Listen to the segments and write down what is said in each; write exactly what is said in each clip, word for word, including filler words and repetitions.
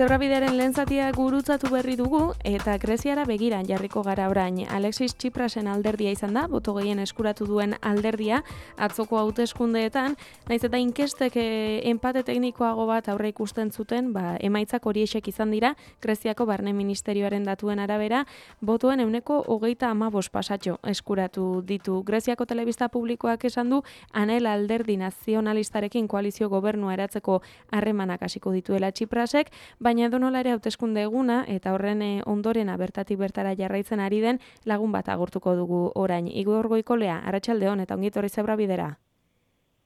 Zebrabidearen lehen zatia gurutzatu berri dugu eta Greziara begiran jarriko gara orain. Alexis Tsiprasen alderdia izan da, boto gehien eskuratu duen alderdia atzoko hauteskundeetan, naiz eta inkestek enpate teknikoago bat aurre ikusten zuten, ba, emaitzak horiexek izan dira, Greziako Barne Ministerioaren datuen arabera, botoen ehuneko hogeita hamabost pasatxo eskuratu ditu. Greziako telebista publikoak esan du, Anel alderdi nazionalistarekin koalizio gobernua eratzeko harremanak hasiko dituela Tsiprasek, baina edonola ere hauteskunde eguna eta horren ondorena bertatik bertara jarraitzen ari den lagun bat agurtuko dugu orain. Igor Goikolea, arratsaldeon eta ongi etorri Zebrabidera.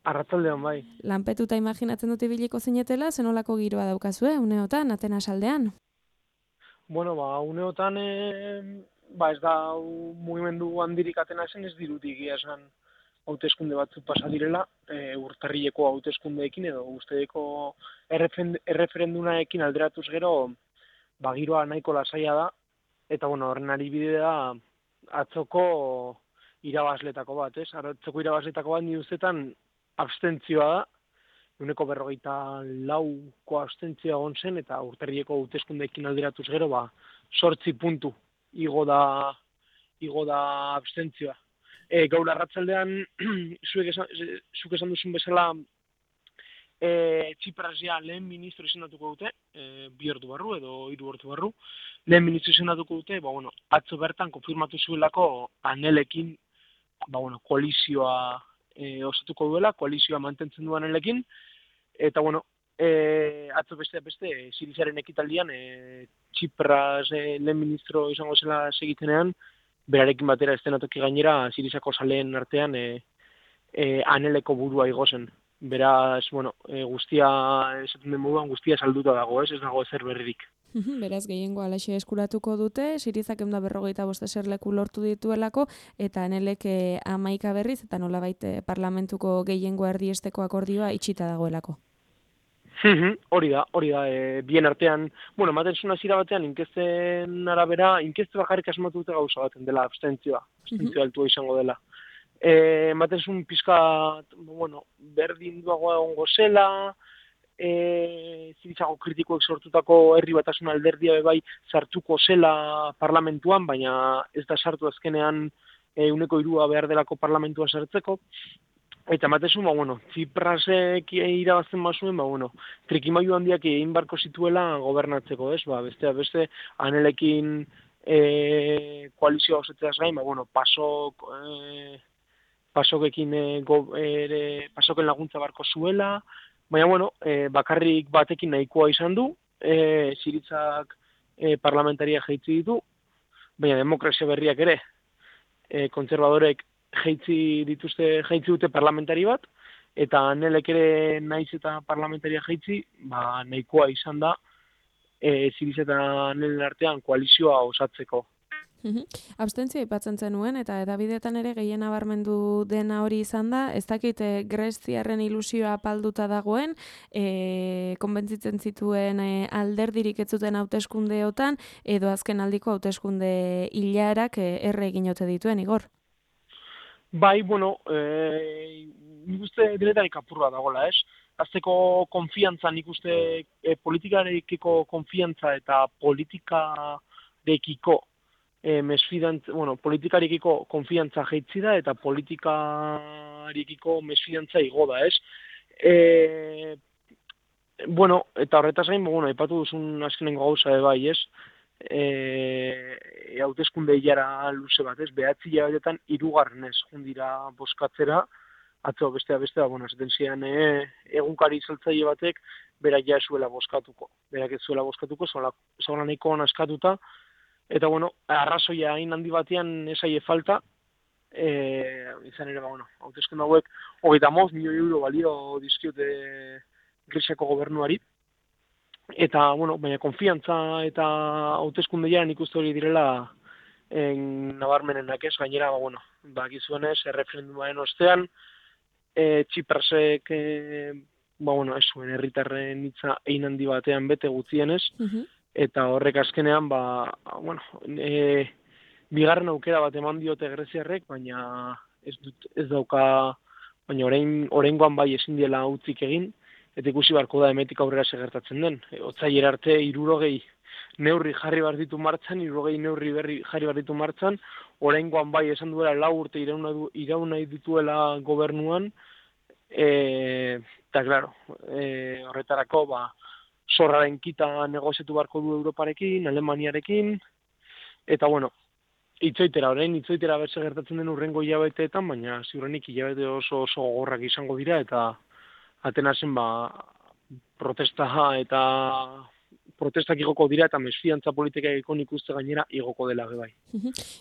Arratsaldeon bai. Lanpetuta imaginatzen dut ibiliko zinetela, zenolako giroa daukazue uneotan Atenas aldean? Bueno, ba, uneotan e, ba ez da mugimendu handirik Atenasen ez dirutik egia esan hauteskunde batzuk pasa direla, e, urtarrileko hauteskundeekin edo ustedeko erreferendunarekin alderatuz gero, ba giroa nahiko lasaia da eta bueno, horren adibide da atzoko irabazletako bat, ez? Atzoko irabazletako bat ni ustetan abstentzioa da. Ehuneko berrogeita lauko abstentzioa egon zen eta urtarrileko hauteskundeekin alderatuz gero, ba zortzi puntu igo da igo da abstentzioa. E, gaur arratsaldean zuek esan, zuk esan duzun bezala e, Tsipras ja lehen ministro izendatuko dute, e, bi ordu barru edo hiru ordu barru, lehen ministro izendatuko dute, ba bueno, atzo bertan konfirmatu zuelako Anelekin, ba bueno, koalizioa e, osatuko duela, koalizioa mantentzen du Anelekin, eta bueno, e, atzo beste beste Sirizaren ekitaldian e, Tsipras e, lehen ministro izango zela segitenean, berarekin batera estenatoki gainera Sirizako saleen artean e, e, Aneleko burua igo zen. Beraz, bueno, e, guztia, esaten den moduan, guztia salduta dago, ez, ez dago ezer berririk. Beraz, gehiengo alaxe eskuratuko dute, Sirizak ehun eta berrogeita bost eserleku lortu dituelako, eta Anelek hamaika berriz, eta nolabait parlamentuko gehiengo erdiesteko akordioa itxita dagoelako. Hori da, hori da, e, bien artean, bueno, ematen zuen hasiera batean, inkesten arabera, inkeste bakarrik asmatu dute gauza baten dela, abstentzioa, abstentzioa altua izango dela. E, ematen zuen pizka, bueno, berdin duagoa egongo zela, e, Sirizako kritikoek sortutako herri batasun alderdia bai sartuko zela parlamentuan, baina ez da sartu azkenean ehuneko hirua behar delako parlamentua sartzeko. Eta ematezu, ba, bueno, Tsiprasek irabazten bazuen, ba, bueno, trikimailu handiak egin barko zituela gobernatzeko, ez? Ba, beste, beste, Anelekin e, koalizioa osatzeaz gain, ba, bueno, pasok, e, pasokekin e, go, ere, pasoken laguntza barko zuela, baina, bueno, e, bakarrik batekin nahikoa izan du, e, Sirizak e, parlamentaria jaitsi ditu, baina demokrazia berriak ere, e, kontserbadorek jaitsi dituzte, jaitsi dute parlamentari bat, eta Anelek ere naiz eta parlamentaria jaitsi, ba, nahikoa izan da, e, Siriz eta Anelen artean koalizioa osatzeko. Abstentzioa aipatzen zenuen, eta edabideetan ere gehien nabarmendu dena hori izan da, ez dakit greziarren ilusioa apalduta dagoen, e, konbentzitzen zituen e, alderdirik ez zuten hauteskundeotan, edo azken aldiko hauteskunde hilarak e, erre egin ote dituen, Igor? Bai, bueno, e, nik uste denetarik apurra dagoela, ez? Azteko konfiantza, nik uste e, politikarekiko konfiantza eta politikarekiko e, mesfidantza, bueno, politikarekiko konfiantza jaitsi da eta politikarekiko mesfidantza igo da, ez? E, bueno, eta horretaz gain, bueno, aipatu duzun azkenengo gauza bai, ez? E, hauteskunde hilara luze bat, ez, behatzi hilabetetan hirugarrenez jundira bozkatzera, atzo bestea bestea, bueno, esaten zian e, egunkari saltzaile batek berak ja zuela bozkatuko, berak ez zuela bozkatuko, zola nahiko askatuta, eta bueno, arrazoia hain handi batean esaie falta, e, izan ere, ba, bueno, hauteskunde hauek hogeita hamabost milioi euro balio dizkiote Greziako gobernuari, eta, bueno, baina konfiantza eta hauteskunde jaren ikuste hori direla en, nabarmenenak ez, gainera, ba, bueno, bakizuenez, erreferendumaren ostean, e, Tsiprasek, e, ba, bueno, ez zuen herritarren hitza egin handi batean bete gutxienez, eta horrek azkenean, ba, bueno, e, bigarren aukera bat eman diote greziarrek, baina ez, dut, ez dauka, baina orain, oraingoan bai ezin diela utzik egin, eta ikusi beharko da hemetik aurrera segertatzen den. E, Otsailera arte hirurogei neurri jarri behar ditu martxan, hirurogei neurri berri jarri behar ditu martxan, oraingoan bai esan duela lau urte irauna, du, iraun nahi dituela gobernuan, eta, claro, e, horretarako, ba, zorraren kita negoziatu beharko du Europarekin, Alemaniarekin, eta, bueno, itzoitera, orain itzoitera berse gertatzen den urrengo hilabeteetan, baina ziurrenik hilabete oso oso gogorrak izango dira, eta Atenasen, ba, protesta eta protestak igoko dira eta mesfidantza politikako ikuste gainera igoko dela bai.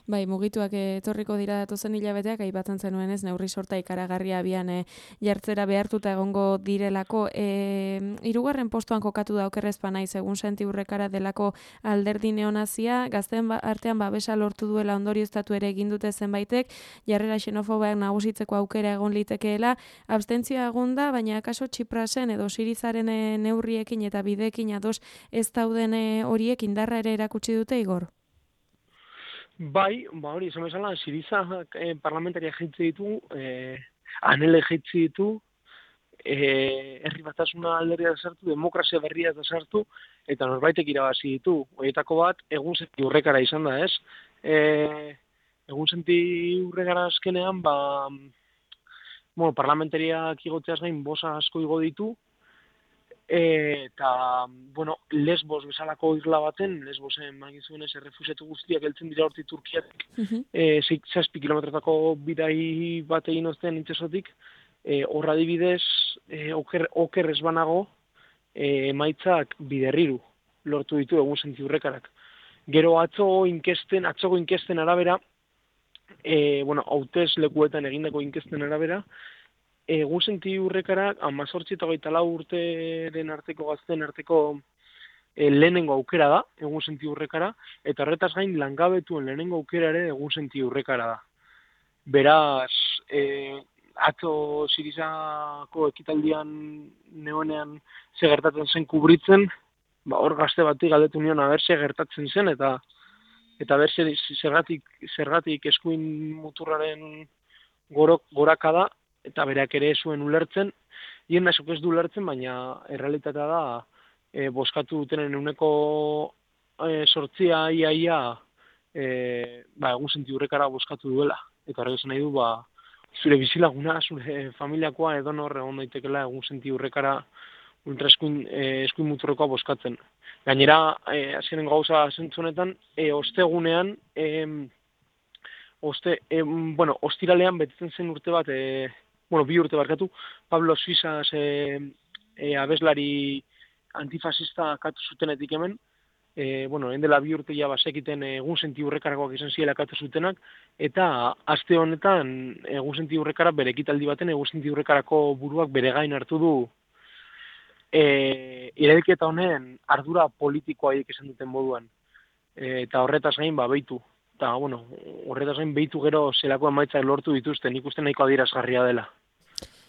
Bai, mugituak etorriko dira datozen hilabeteak, aipatzen zenuen ez, neurri sorta ikaragarria abian e, jartzera behartuta egongo direlako. E, hirugarren postuan kokatu da okerrezpa naiz, egun Santi Urrekara delako alderdi neonazia, gazteen artean babesa lortu duela ondorioztatu ere egin dute zenbaitek, jarrera xenofobeak nagusitzeko aukera egon litekeela, abstentzioa egon da, baina akaso Txiprasen edo Sirizaren neurriekin eta bideekin ados ez dauden horiek indarra ere erakutsi dute, Igor? Bai, ba hori, esan bezala, Siriza eh, parlamentaria jaitzi ditu, eh, anele jaitzi ditu, eh, herri batasuna alderdia da sartu, demokrazia berria da sartu, eta norbaitek irabazi ditu. Horietako bat, egun Santi Urrekara izan da, ez? Eh, egun Santi Urrekara azkenean, ba, bueno, parlamentariak igotzeaz gain bosa asko igo ditu, eta, bueno, Lesbos bezalako isla baten, Lesbosen magin zuenez errefusiatu guztiak heltzen dira horti Turkiatik, uh-huh. e, zazpi kilometrotako bidai bat egin ozten intzesotik, e, horra dibidez, e, oker, oker ez banago, e, emaitzak biderriru lortu ditu egun Santi Urrekarak. Gero atzo inkesten, atzoko inkesten arabera, e, bueno, hautez lekuetan egindako inkesten arabera, egun Santi Urrekarak amazortzi eta hogeita lau urteren arteko gazten arteko e, lehenengo aukera da, egun Santi Urrekara, eta horretaz gain langabetuen lehenengo aukera ere egun Santi Urrekara da. Beraz, e, atzo Sirizako ekitaldian neonean ze gertatzen zen kubritzen, ba, hor gazte bati galdetu nion aber ze gertatzen zen, eta eta ber zergatik, zergatik eskuin muturraren gorok, gorakada, eta berak ere zuen ulertzen, hien nasok ez du ulertzen, baina errealitatea da, e, boskatu dutenen euneko e, sortzia iaia, e, ba, egun Santi Urrekara boskatu duela. Eta horrek esan nahi du, ba, zure bizilaguna, zure familiakoa edo nor egon daitekela egun Santi Urrekara ultra eskuin, e, eskuin muturrekoa boskatzen. Gainera, e, azkenen gauza zentzunetan, e, ostegunean, e, oste, e, bueno, ostiralean betetzen zen urte bat, e, bueno, bi urte barkatu, Pablo Suizas e, e, abeslari antifasista katu zutenetik hemen, e, bueno, endela bi urte ja basekiten egun Santi Urrekarakoak izan ziela katu zutenak, eta aste honetan egun Santi Urrekara bere ekitaldi baten egun Santi Urrekarako buruak bere gain hartu du e, irailketa honen ardura politikoa esan duten moduan, e, eta horretaz gain ba behitu. Eta, bueno, horretaz gain behitu gero zelako emaitzak lortu dituzten, ikusten nahiko adierazgarria dela.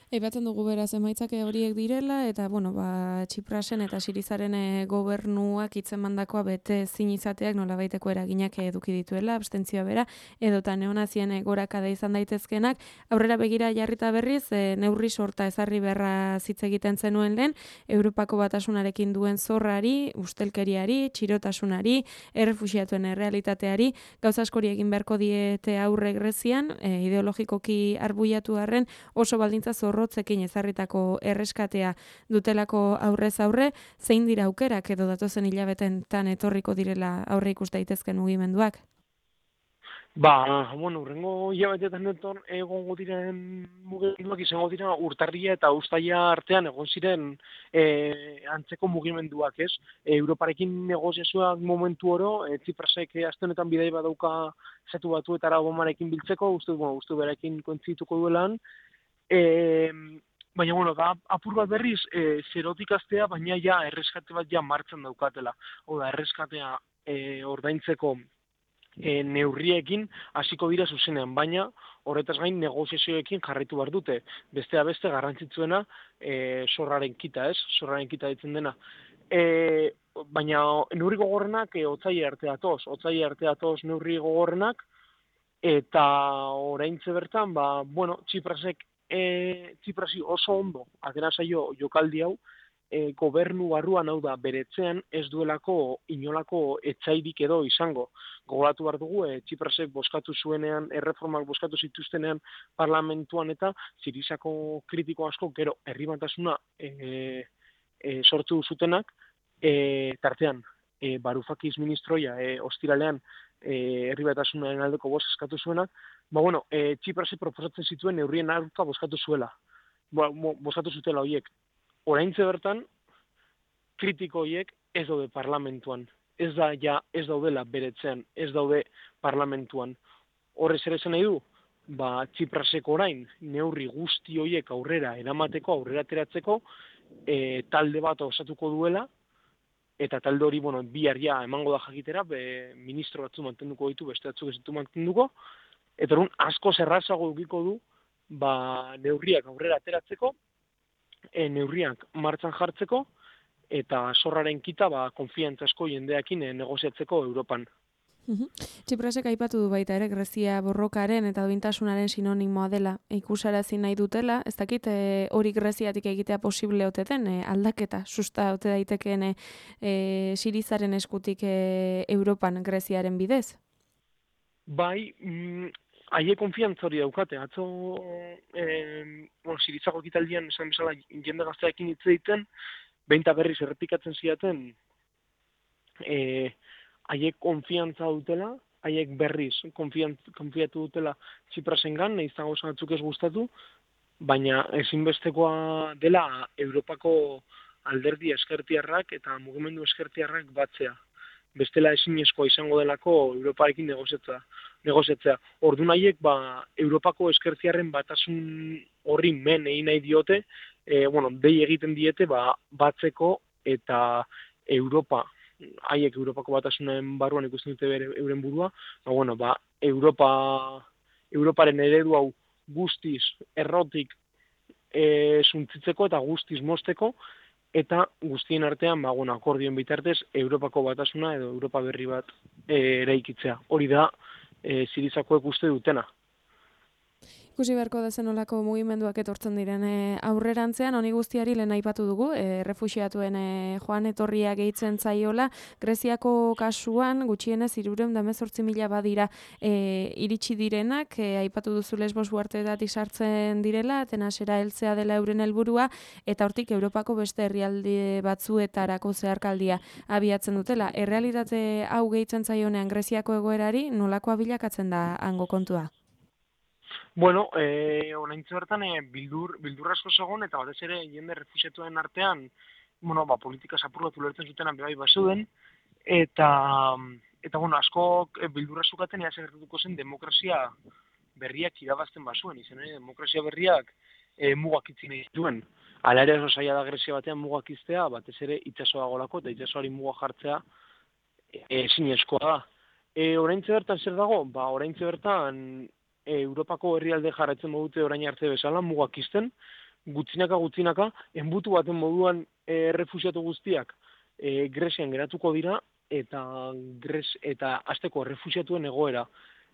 Eipatzen dugu beraz emaitzak horiek direla, eta, bueno, ba, Txiprasen eta Sirizaren gobernuak hitzemandakoa bete ezin izateak nolabaiteko eraginak eduki dituela, abstentzioa bera, edota neonazien gorakada izan daitezkenak, aurrera begira jarrita berriz, e, neurri sorta ezarri beharra hitz egiten zenuen lehen, Europako batasunarekin duen zorrari, ustelkeriari, txirotasunari, errefuxiatuen errealitateari, gauza askori egin beharko diete aurre Grezian, e, ideologikoki arbuiatu arren oso baldintza zorro rotzekin ezarritako erreskatea dutelako aurrez aurre, zein dira aukerak edo datozen hilabetetan etorriko direla aurre ikus daitezken mugimenduak? Ba, bueno, urrengo hilabetetan etor egongo diren mugimenduak izango dira urtarria eta uztaila artean egon ziren e, antzeko mugimenduak, ez? E, Europarekin negoziazioak momentu oro, e, Txiprasek aste honetan bidai badauka Estatu Batuetara Obamarekin biltzeko, uste, bueno, uste berekin kointzituko duelan, E, baina, bueno, da, apur bat berriz, e, zerotik astea, baina ja, erreskate bat ja martxan daukatela. Oda, erreskatea e, ordaintzeko e, neurriekin hasiko dira zuzenean, baina horretaz gain negoziazioekin jarraitu behar dute. Bestea beste garrantzitsuena e, zorraren kita, ez? Zorraren kita ditzen dena. E, baina neurri gogorrenak e, otsaila arte datoz, otsaila arte datoz neurri gogorrenak, eta oraintze bertan, ba, bueno, Txiprasek e, Txiprasi oso ondo atera zaio jokaldi hau, e, gobernu barruan, hau da, beretzean ez duelako inolako etsairik edo izango. Gogoratu behar dugu, e, Txiprasek boskatu zuenean, erreformak boskatu zituztenean parlamentuan eta Zirizako kritiko asko, gero, herri batasuna e, e, sortu zutenak, e, tartean, e, Varoufakis ministroia e, ostiralean e, herri batasunaren aldeko bost eskatu zuenak, ba, bueno, e, Txiprasek proposatzen zituen neurrien aurka boskatu zuela. Ba, boskatu zutela horiek. Oraintze bertan, kritiko horiek ez daude parlamentuan. Ez da, ja, ez daudela beretzean, ez daude parlamentuan. Horrez ere zen nahi du, ba, Txipraseko orain, neurri guzti horiek aurrera eramateko, aurrera ateratzeko, e, talde bat osatuko duela, eta talde hori, bueno, bihar ja emango da jakitera, be, ministro batzu mantenduko ditu, beste batzuk ez ditu mantenduko, eta orduan asko zerrazago dukiko du, ba, neurriak aurrera ateratzeko, E, neurriak martxan jartzeko eta zorraren kita ba, konfiantzasko jendeakin e, negoziatzeko Europan. Txiprasek aipatu du baita ere Grezia borrokaren eta duintasunaren sinonimoa dela ikusarazi nahi dutela, ez dakit e, hori Greziatik egitea posible oteten, e, aldaketa susta ote daitekeen e, e, Sirizaren eskutik e, Europan Greziaren bidez? Bai, mm, haie konfiantza hori daukate, atzo eh, bueno, Sirizako ekitaldian esan bezala jende gazteakin hitz egiten, behinta berriz errepikatzen ziaten eh, haiek konfiantza dutela, haiek berriz konfiatu dutela Txiprasengan, nahiz eta gauza batzuk ez gustatu, baina ezinbestekoa dela Europako alderdi eskertiarrak eta mugimendu eskertiarrak batzea. Bestela ezinezkoa izango delako Europarekin negoziatzea. negoziatzea. Orduan haiek ba, Europako eskertziarren batasun horri men egin nahi diote, e, bueno, dei egiten diete ba, batzeko eta Europa, haiek Europako batasunen barruan ikusten dute bere, euren burua, ba, bueno, ba, Europa, Europaren eredu hau guztiz errotik e, suntzitzeko eta guztiz mosteko, eta guztien artean, ba, bueno, akordioen bitartez, Europako batasuna edo Europa berri bat e, eraikitzea. Hori da, e, Sirizakoek uste dutena. Ikusi beharko da zenolako mugimenduak etortzen diren e, aurrerantzean, honi guztiari lehen aipatu dugu, e, refuxiatuen e, joan etorria gehitzen zaiola, Greziako kasuan gutxienez hirurehun eta hemezortzi mila badira e, iritsi direnak, e, aipatu duzu Lesbos uharteetatik sartzen direla, Atenasera heltzea dela euren helburua, eta hortik Europako beste herrialde batzuetarako zeharkaldia abiatzen dutela. Errealitate hau gehitzen zaionean Greziako egoerari, nolakoa bilakatzen da hango kontua? Bueno, eh, oraintxe bertan eh, bildur, bildur asko zegoen, eta batez ere jende refuxiatuen artean, bueno, ba, politika zapurrat ulertzen zutenan bebai bazuden, eta, eta bueno, asko eh, bildur azukaten ea segertatuko zen demokrazia berriak irabazten bazuen, izan ere, demokrazia berriak eh, mugak itzi nahi dituen. Hala ere oso zaila da Grezia batean mugak iztea, batez ere itsasoa golako, eta itsasoari muga jartzea ezinezkoa da. E, oraintxe bertan zer dago? Ba, oraintxe bertan Europako herrialde jarraitzen modute orain arte bezala, mugak izten, gutzinaka gutzinaka, enbutu baten moduan e, refusiatu guztiak e, Grezian geratuko dira, eta Grez, eta azteko refusiatuen egoera,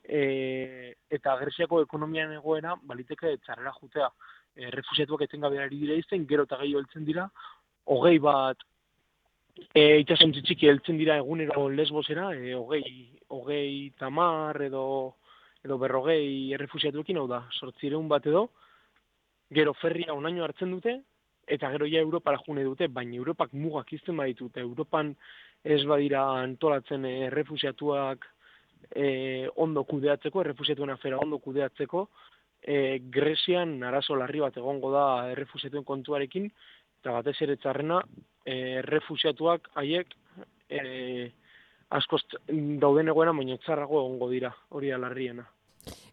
e, eta Greziako ekonomian egoera, baliteke txarrera jutea. E, refusiatuak etengabe ari dira izten, gero eta gehiago heltzen dira, hogei bat, e, itxasontzi txiki heltzen dira egunero Lesbosera, e, hogei, hogei tamar edo edo berrogei errefusiatuekin, hau da, sortzireun bat edo, gero ferria onaino hartzen dute, eta gero ja Europara june dute, baina Europak mugak izten baditu, eta Europan ez badira antolatzen errefusiatuak e, ondo kudeatzeko, errefusiatuen afera ondo kudeatzeko, e, Grezian arazo larri bat egongo da errefusiatuen kontuarekin, eta batez ere txarrena, errefusiatuak haiek e, askoz dauden egoera, baina txarrago egongo dira, hori da larriena.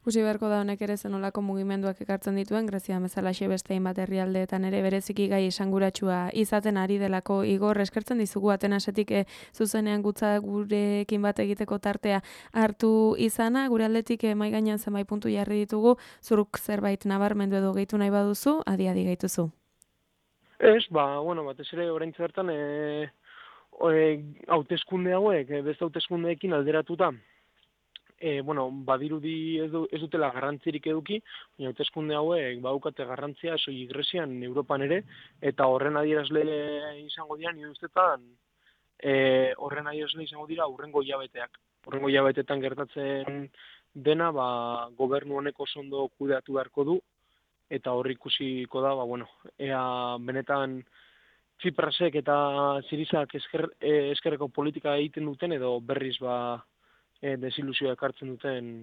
Ikusi beharko da honek ere zenolako mugimenduak ekartzen dituen, Grezia bezalaxe beste hainbat herrialdeetan ere bereziki gai esanguratsua izaten ari delako. Igor, eskertzen dizugu Atenasetik e, zuzenean gutza gurekin bat egiteko tartea hartu izana, gure aldetik e, mahai gainean zenbait puntu jarri ditugu, zuruk zerbait nabarmendu edo gehitu nahi baduzu, adi-adi gehituzu. Ez, ba, bueno, batez ere oraintxe bertan e, e, hauteskunde hauek, e, beste hauteskundeekin alderatuta, e, bueno, badirudi ez, du, ez dutela garrantzirik eduki, baina hauteskunde hauek badukate garrantzia soilik Grezian, Europan ere, eta horren adierazle izango dira, nire ustetan, e, horren adierazle izango dira hurrengo hilabeteak. Hurrengo hilabetetan gertatzen dena, ba, gobernu honek oso ondo kudeatu beharko du, eta horri ikusiko da, ba, bueno, ea benetan Tsiprasek eta Sirizak esker, eh, eskerreko politika egiten duten, edo berriz ba, eh, desilusioa ekartzen duten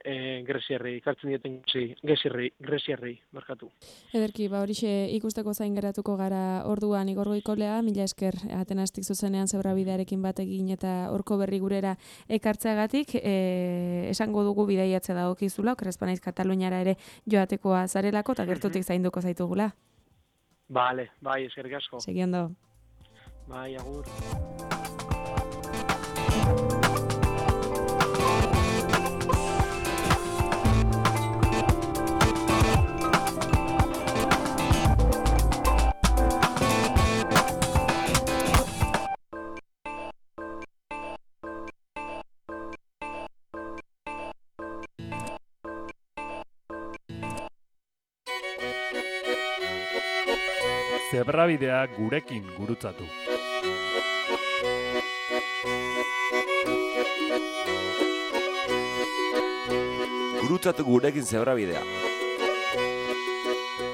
eh, Greziarrei, ekartzen dieten Greziarrei, Greziarrei, markatu. Ederki, ba horixe ikusteko zain geratuko gara orduan Igor Goikolea, mila esker Atenastik zuzenean Zebrabidearekin bat egin eta horko berri gurera ekartzeagatik, e, esango dugu bidaiatze dagokizula, okerespanaiz Kataluniara ere joatekoa zarelako eta gertutik zainduko zaitugula. Vale, bai, eskerrik asko. Segi ondo. Bai, agur. Zebrabidea gurekin gurutzatu. Gurutzatu gurekin Zebrabidea.